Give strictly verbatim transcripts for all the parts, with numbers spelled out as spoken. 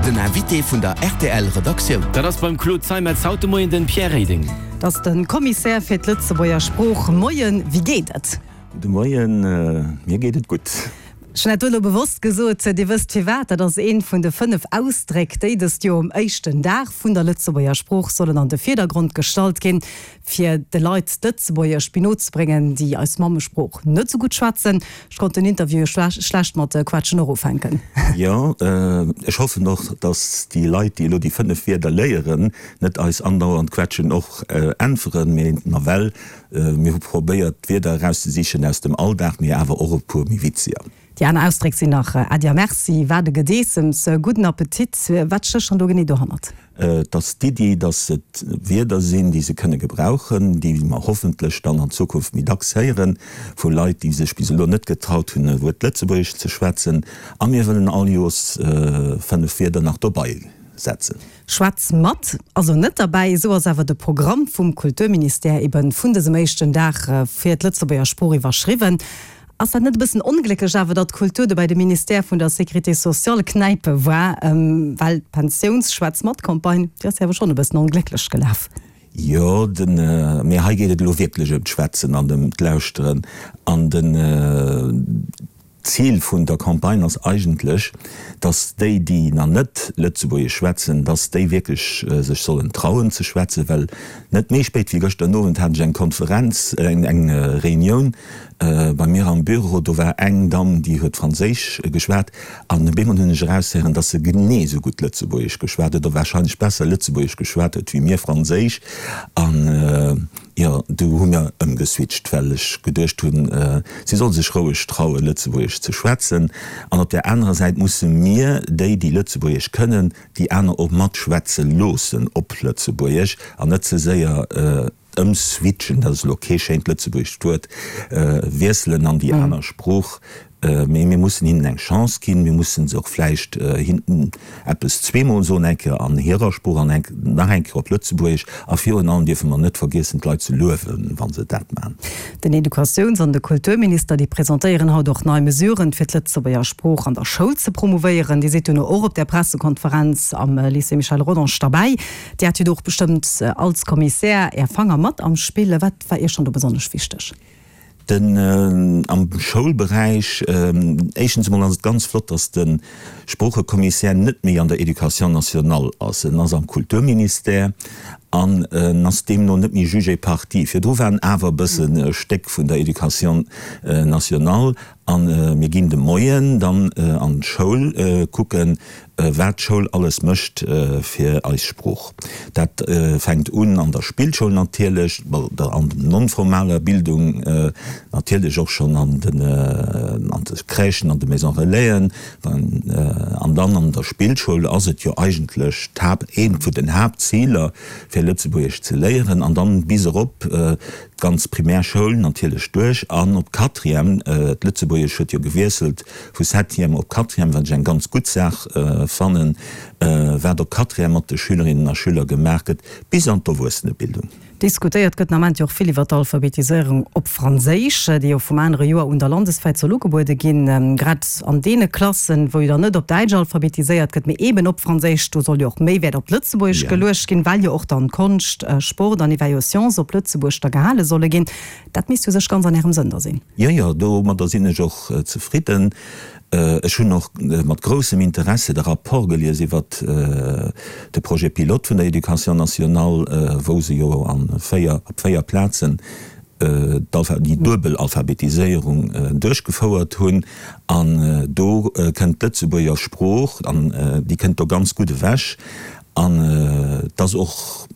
Den Invité vun der R T L Redaktioun. Dat ass beim Claude Zeimetz haut de Moien den Pierre Reding. Dat ass de Kommissär fir d'Lëtzebuerger Sprooch. Moien, wéi geet et? De Moien, mir geet et gutt. Ech hunn dat elo bewosst gesot, Dir wësst firwat, dat ass een vun de fënnef Ausdréck, déi dëst Joer um éischten Dag vun der Lëtzebuerger Sprooch sollen an de Virdergrond gestallt ginn, fir de Leit d'Lëtzebuergesch méi no ze bréngen, déi eis Mammesprooch net esou gutt schwätzen. Ech konnt den Interview schlecht mat Quetschen och ufänken. Jo, ech hoffen och, dass déi Leit, déi elo déi fënnef Wierder léieren, net eis andauernd Quetschen och äntweren, mee nawell, mir hu probéiert, Wierder erauszesichen aus dem Alldag, mee awer och e puer méi witziger. Déi aner Ausdréck sinn nach Äddi a Merci, wat e Gedeessems, gudden Appetit. Wat stécht dann do genee dohannert? Et ass d'Iddi, dass et Wierder sinn, déi se kënne gebrauchen, déi mer hoffentlech dann an Zukunft méi dacks héieren, vu Leit, déi sech bis elo net getraut hunn, e Wuert Lëtzebuergesch ze schwätzen. A mir wëllen all Joers fënnef Wierder nach dobei setzen. Schwätz mat, also net derbäi, esou ass awer de Programm vum Kulturministère eben vun dësem éischten Dag fir d'Lëtzebuerger Sprooch iwwerschriwwen. Ass dat net e bëssen onglécklech awer, datt d'Kultur do bei de Ministère vun der Sécurité sociale knäipe war? Well d'Pensiouns-Schwätz-mat-Campagne, déi ass jo awer schonn e bëssen onglécklech gelaf. Jo, den, mee hei geet et elo wierklech ëm d'Schwätzen an ëm d'Lauschteren. An den Zil vun der Campagne ass eigentlech, datt déi, déi nach net Lëtzebuergesch schwätzen, datt déi wierklech sech sollen trauen ze schwätzen. Well net méi spéit wéi gëschter Owend hat ech eng Konferenz, eng Reunioun bei mir am Büro. Do war eng Damm, déi huet Franséisch geschwat an op eemol hunn ech eraushéieren, datt se genee esou gutt Lëtzebuergesch geschwat huet oder warscheinlech besser Lëtzebuergesch geschwat huet wéi mir Franséisch. An jo, du hu mir ëmgeswitcht, well ech geduecht hunn, si soll sech roueg trauen, Lëtzebuergesch ze schwätzen. An op där anerer Säit musse mir, déi, déi Lëtzebuergesch kënnen, déi aner och matschwätze loossen op Lëtzebuergesch an net ze séier ëmswitchen, dat ass elo kee schéint lëtzebuergescht Wuert, wiesselen an déi aner Sprooch. Mee mir mussen hinnen eng Chance ginn. Mir mussen se och vläicht hinnen eppes zweemol soen, eng Kéier an hirer Sprooch an eng nach eng Kéier op Lëtzebuergesch. A virun allem dierfe mer net vergiessen, d'Leit ze luewen, wa se dat maachen. Den Educatiouns an de Kulturminister, déi presentéieren haut och nei Mesuren, fir d'Lëtzebuerger Sprooch an der Schoul ze promouvéieren. Dir sidd duerno och op där Pressekonferenz am Lycée Michel Rodange derbäi. Dir hat jo do och bestëmmt als Kommissär Är Fanger mat am Spill. Wat war Iech dann do besonnesch wichteg? Den am Schoulberäich, éischtens emol ass et ganz flott, datt de Sproochekommissär net méi an der Éducation nationale ass. En ass am Kulturministère an en ass deemno net méi Juge et partie. Virdru war en awer e bëssen e Stéck vun der Éducation nationale. A mir ginn de Moien dann an d'Schoul kucken, wat d'Schoul alles mécht fir eis Sprooch. Dat fänkt un an der Spillschoul natierlech, an der non-formaler Bildung natierlech och schonn an den an de Crèchen, an de Maisons Relaisen. An dann an der Spillschoul ass et jo eigentlech d'Haapt, eent vun den Haaptziler, fir Lëtzebuergesch ze léieren. An dann bis erop d'ganz Primärschoul natierlech duerch an op d'Quatrième. D'Lëtzebuergesch huet jo gewiesselt vu Septième op Quatrième, wat ech eng ganz gutt Saach fannen, wat op Quatrième mat de Schülerinnen a Schüler gemaach gëtt, bis an d'Erwuessenebildung. Diskutéiert gëtt den Ament jo och vill iwwer d'Alphabetiséierung op Franséisch, déi jo vum anere Joer un da landeswäit soll ugebuede ginn. Grad an deene Klassen, wou jo dann net op Däitsch alphabetiséiert gëtt, mee eeben op Franséisch, do soll jo och méi Wäert op d'Lëtzebuergesch geluecht ginn, well jo och dann Konscht, Sport an ewell jo Science op Lëtzebuerg da gehale solle ginn. Dat misst u sech ganz an Ärem Sënn da sinn. Jo, jo, domadder sinn ech och zefridden. Ech hunn och mat groussem Interesse de Rapport gelies iwwert de Projet pilote vun der Éducation nationale, wou se jo a véier, op véier Plazen déi duebel Alphabetiséierung duerchgefouert hunn. An do kënnt d'Lëtzebuerger Sprooch, an déi kënnt do ganz gutt ewech. An et ass och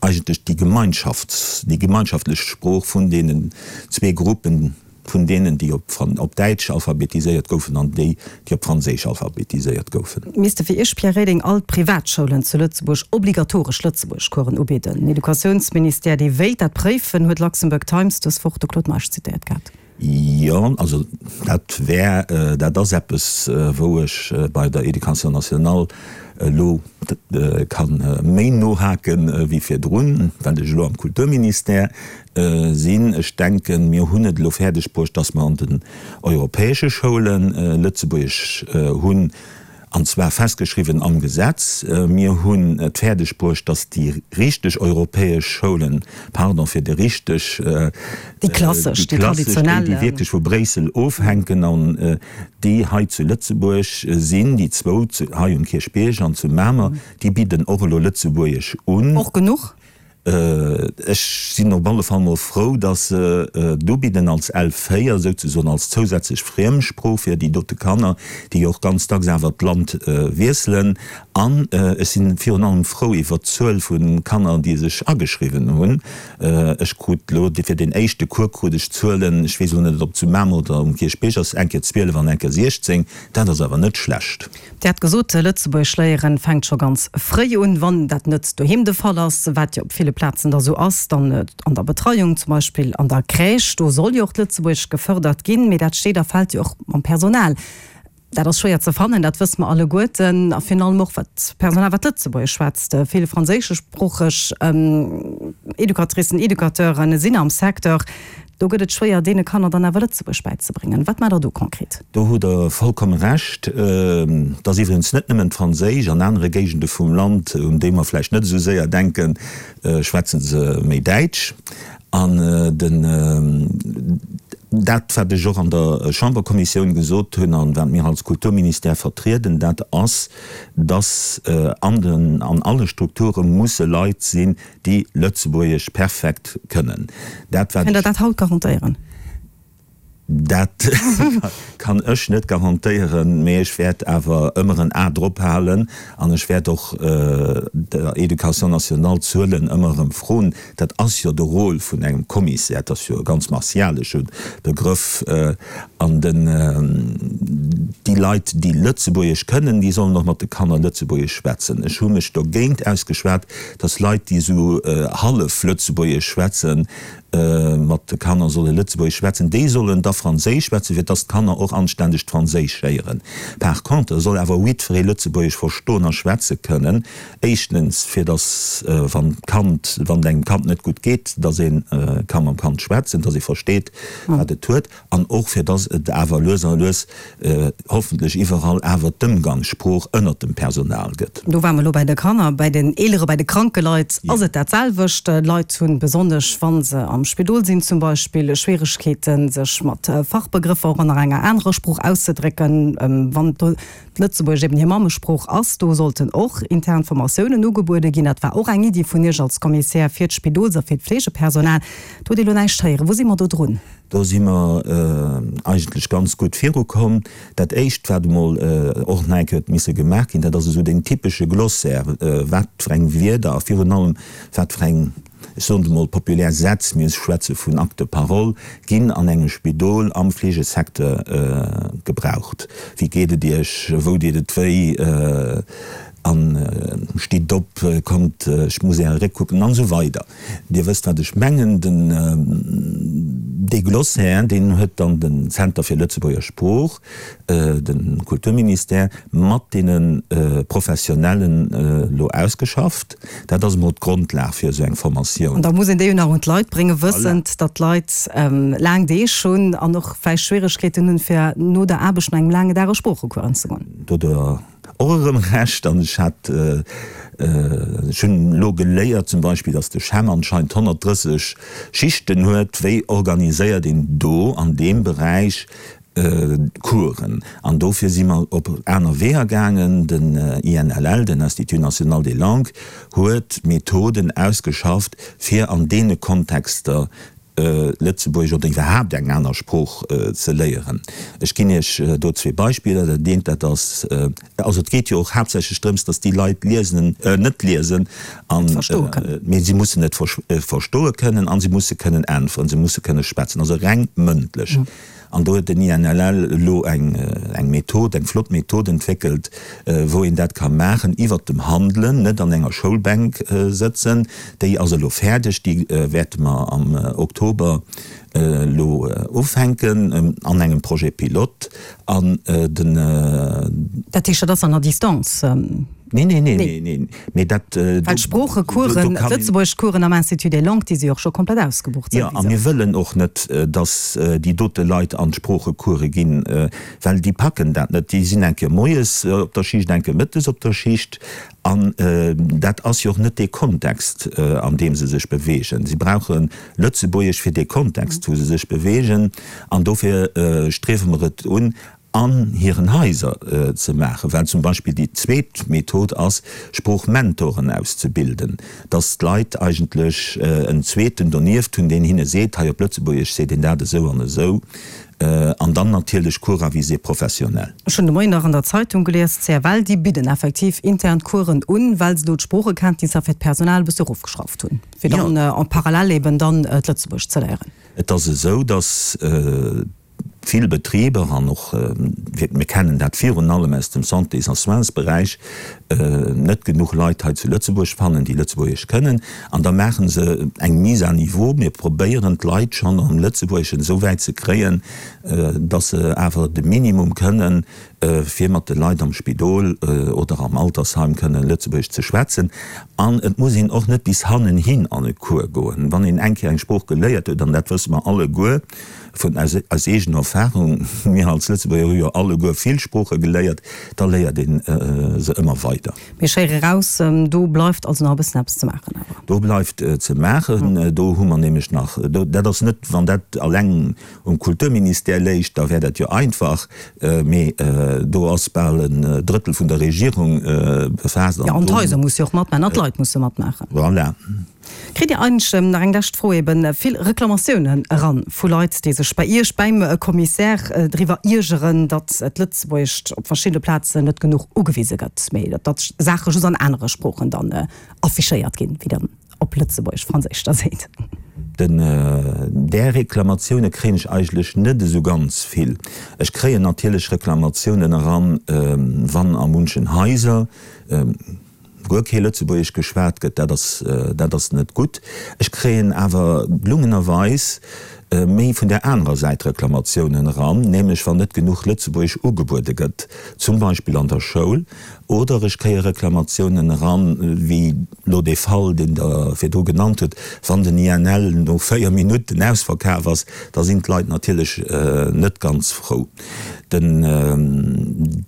eigentlech déi Gemeinschafts-, déi gemeinschaftlech Sprooch vun deenen zwee Gruppen, vun deenen, déi op Fran-, op Däitsch alphabetiséiert goufen an déi, déi op Franséisch alphabetiséiert goufen. Misste fir Iech, Pierre Reding, all d'Privatschoulen zu Lëtzebuerg obligatoresch Lëtzebuergeschcoursen ubidden? Den Educatiounsministère, dee wéilt dat préifen, huet Luxembourg Times dës Woch de Claude Meisch zitéiert gehat. Jo, also dat wär, dat ass eppes, wou ech bei der Éducation nationale elo ka méi nohake wéi virdrun, well ech elo am Kulturministère sinn. Ech denken, mir hunn et elo fäerdeg bruecht, dass mer an den europäesche Schoule Lëtzebuergesch hunn. An zwar festgeschriwwen am Gesetz. Mir hunn et fäerdeg bruecht, dass déi richteg europäesch Schoulen, pardon fir de richteg, déi klassesch, déi traditionell, déi wierklech vu Bréissel ofhänken an déi hei zu Lëtzebuerg sinn, déi zwou hei um Kierchbierg an zu Mamer, déi bidden och elo Lëtzebuergesch un. Och genuch? Ech sinn op alle Fall mol frou, dass se et ubidden als L véier, souzesoen als zousätzlech Friemsprooch fir déi dote Kanner, déi jo och ganz dacks awer d'Land wiesselen. An ech si virun allem frou iwwert d'Zuel vu Kanner, déi sech ageschriwwen hunn. Ech krut elo fir deen éischte Cours krut ech d'Zuelen, ech weess elo net, ob zu Mamer oder um Kierchbierg ass, eng Kéier zwielef an eng Kéier siechzéng. Dat ass awer net schlecht. Dir hat gesot, Lëtzebuergesch léieren fänkt scho ganz fréi un. Wann dat net doheem de Fall ass, wat jo op ville Plazen da sou ass, dann an der Betreiung, zum Beispill an der Crèche, do soll jo och d'Lëtzebuergesch gefërdert ginn. Mee dat steet a fält jo och mam Personal. Dat ass schwéier ze fannen, dat wësse mer alleguerten. A virun allem och wat Personal, wat Lëtzebuergesch schwätzt. Vill franséischsproocheg Educatricen, Educateure sinn am Secteur. Do gëtt et schwéier, deene Kanner dann awer Lëtzebuergesch bäizebréngen. Wat maacht Der do konkret? Do hutt Der vollkomme Recht. Et ass iwwregens net nëmmen d'Franséisch. An anere Géigende vum Land, un déi mer vläicht net esou séier denken, schwätze se méi Däitsch. An den, dat, wat ech och an der Chamberkommissioun gesot hunn an wat mir als Kulturministère vertrieden, dat ass, dass an den, an alle Strukture musse Leit sinn, déi Lëtzebuergesch perfekt kënnen. Dat wat. Kënnt Der dat haut garantéieren? Dat kann ech net garantéieren, mee ech wäert awer ëmmer en A drop halen an ech wäert och der Éducation nationale d'Zuelen ëmmer erëm froen. Dat ass jo de Rôle vun engem Kommissär, dat ass jo e ganz martialesche Begrëff. An den, déi Leit, déi Lëtzebuergesch kënnen, déi sollen och mat de Kanner Lëtzebuergesch schwätzen. Ech hu mech dogéint ausgeschwat, dass Leit, déi esou hallef Lëtzebuergesch schwätzen, mat de Kanner solle Lëtzebuergesch schwätzen, déi sollen da Franséisch schwätzen, fir dass d'Kanner och anständegt Franséisch héieren. Par contre soll awer jiddweree Lëtzebuergesch verstoen a schwätze kënnen, éischtens, fir dass, wann d'Kand, wann et engem Kand net gutt geet, dass ee ka mam Kand schwätzen, dass ee versteet, wat et huet, an och fir dass et awer lues a lues hoffentlech iwwerall awer d'Ëmgangssprooch ënnert dem Personal gëtt. Do ware mer elo bei de Kanner. Bei den Eelere, bei de kranke Leit ass et dat selwecht. Leit hunn, besonnesch wa se am Spidol sinn zum Beispill, Schwieregkeeten, sech mat Fachbegrëffer och an nach enger anerer Sprooch auszedrécken. Wann d'Lëtzebuergesch eben hir Mammesprooch ass, do sollten och intern Formatiounen ugebuede ginn. Dat war och eng Iddi vun Iech als Kommissär fir d'Spidols a fir d'Fleegepersonal. Do hutt Dir elo näischt héieren. Wou si mer do drun? Do si mer eigentlech ganz gutt virukomm. Dat Éischt, wat emol och nach eng Kéier huet misse gemaach ginn, dat ass esou deen typesche Glossaire, wat fir eng Wierder a virun allem wat fir eng, ech soen et emol populär, Sätz, mir schwätze vun Actes de parole, ginn an engem Spidol am Fleegesecteur gebraucht. Wéi geet et Iech? Wou deet et wéi? An stitt op, kommt, ech muss Äre Réck kucken, an esou weider. Dir wësst, wat ech mengen. Den, dee Glossaire, deen huet dann den Zenter fir Lëtzebuerger Sprooch, de Kulturministère, mat deene Professionellen elo ausgeschafft. Dat ass emol d'Grondlag fir esou eng Formatioun. An da muss een déi jo nach un d'Leit bréngen, wëssend, datt d'Leit laang Deeg hunn an och vläicht Schwieregkeeten hunn, fir no der Aarbecht, no engem laangen Dag a Sproochecours anzegoen. Do Och erëm Recht, an ech hat, ech hunn elo geléiert zum Beispill, datt de CHEM anscheinend honnertdrësseg Schichten huet. Wéi organiséiert een do an deem Beräich Coursen? An dofir si mer op aner Weeër gaangen. Den I N L L, den Institut national des langues, huet Methoden ausgeschafft, fir an deene Kontexter Lëtzebuergesch oder iwwerhaapt eng aner Sprooch ze léieren. Ech ginn Iech do zwee Beispiller. Dat eent, dat ass, also et geet jo och haaptsächlech drëms, datt déi Leit liesen, net liesen an, mee si mussen et verstoe kënnen a si musse kënnen äntweren, si musse kënne schwätzen, also reng mëndlech. An do huet den I N L L elo eng eng Method, eng flott Method entwéckelt, wou een dat ka maachen iwwert dem Handelen, net an enger Schoulbänk sëtzen. Déi ass elo fäerdeg, déi wäerte mer am Oktober elo ufänken an engem Projet pilote. An den. Dat heescht, dat ass dann à distance? Nee, nee, nee, nee, nee. Mee dat, Well d'Sproochecoursen, d'Lëtzebuergeschcoursen am Institut des Langues, déi si jo och scho komplett ausgebucht Jo, a mir wëllen och net, dass déi dote Leit an d'Sproochecourse ginn, well déi packen dat net. Déi sinn eng Kéier moies op der Schicht, eng Kéier mëttes op der Schicht. An dat ass jo och net dee Kontext, an deem se sech beweegen. Si brauche Lëtzebuergesch fir dee Kontext, wou se sech beweegen. An dofir striewe mer et un, an hiren Haiser ze maachen, well zum Beispill déi zweet Method ass, Sproochmentoren auszebilden, dass d'Leit eigentlech en zweeten donieft hunn, deen hinne seet, hei op Lëtzebuergesch seet een dat esou an esou, an dann natierlech Cours à visée professionnelle. Ech hunn de Moien nach an der Zeitung gelies, d'CFL, déi bidden effektiv intern Coursen un, well se do d'Sproochekenntnisser fir d'Personal e bësse erofgeschrauft hunn, fir dann en parallèle eben dann d'Lëtzebuergescht ze léieren. Et ass esou, dass vill Betriber an och, mir kennen dat virun allem aus dem Santés a Soinsberäich, net genuch Leit hei zu Lëtzebuerg fannen, déi Lëtzebuergesch kënnen. An da maache se eng Mise à niveau. Mir probéieren d'Leit schonn am Lëtzebuergeschen esou wäit ze kréien, datt se awer de Minimum kënnen, fir mat de Leit am Spidol oder am Altersheim kënnen Lëtzebuergesch ze schwätzen. An et muss een och net bis hannenhin an e Cours goen. Wann een eng Kéier eng Sprooch geléiert huet, an dat wësse mer alleguer vun aus eegener Erfahrung, mir als Lëtzebuerger hu jo alleguer vill Sprooche geléiert, da léiert ee se ëmmer weider. Mee ech héiere raus, do bleift also nach e bëssen eppes ze maachen awer. Do bleift ze maachen. Do hu mer nämlech nach, dat ass net, wann dat alleng um Kulturministère léich, da wär dat jo einfach, mee do ass bal en Drëttel vun der Regierung befaasst. Jo, an d'Haiser musse jo och matmaachen an d'Leit musse matmaachen. Voilà. Kritt Dir eigentlech, nach eng lescht Fro, eben vill Reklamatiounen eran vu Leit, déi sech bei Iech, beim Kommissär driwwer iergeren, datt d'Lëtzebuergescht op verschiddene Plazen net genuch ugewise gëtt, mee datt Saache just an anere Sproochen dann affichéiert ginn, wéi dann op Lëtzebuergesch, Franséisch da seet? Den, där Reklamatioune kréien ech eigentlech net esou ganz vill. Ech kréien natierlech Reklamatiounen eran, wann a munchen Haiser guer kee Lëtzebuergesch geschwat gëtt. Dat ass, dat ass net gutt. Ech kréien awer gelungenerweis méi vun där anerer Säit Reklamatiounen eran, nämlech wann net genuch Lëtzebuergesch ugebuede gëtt, zum Beispill an der Schoul, oder ech kréie Reklamatiounen eran, wéi elo dee Fall, deen Der virdru genannt hutt, wann den I N L no véier Minutten ausverkaf ass, da sinn d'Leit natierlech net ganz frou. Den,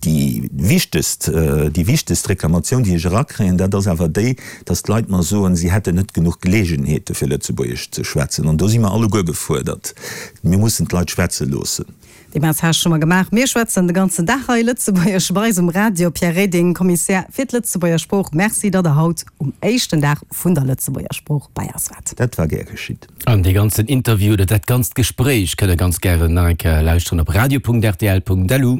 déi wichtegst, déi wichtegst Reklamatioun, déi ech erakréien, dat ass awer déi, dass d'Leit mer soen, si hätten net genuch Geleegenheete fir Lëtzebuergesch ze schwätzen. An do si mer alleguer gefuerdert. Mir mussen d'Leit schwätze loossen. Dee Message hu mer gemaach. Mir schwätzen de ganzen Dag hei Lëtzebuergesch bei eis um Radio. Pierre Reding, Kommissär fir d'Lëtzebuerger Sprooch, Merci, datt Der haut um éischten Dag vun der Lëtzebuerger Sprooch bei eis waart. Dat war gär geschitt. An dee ganzen Interview oder dat ganzt Gespréich kënnt Der ganz gären nach eng Kéier lauschteren op radio punkt rtl punkt lu.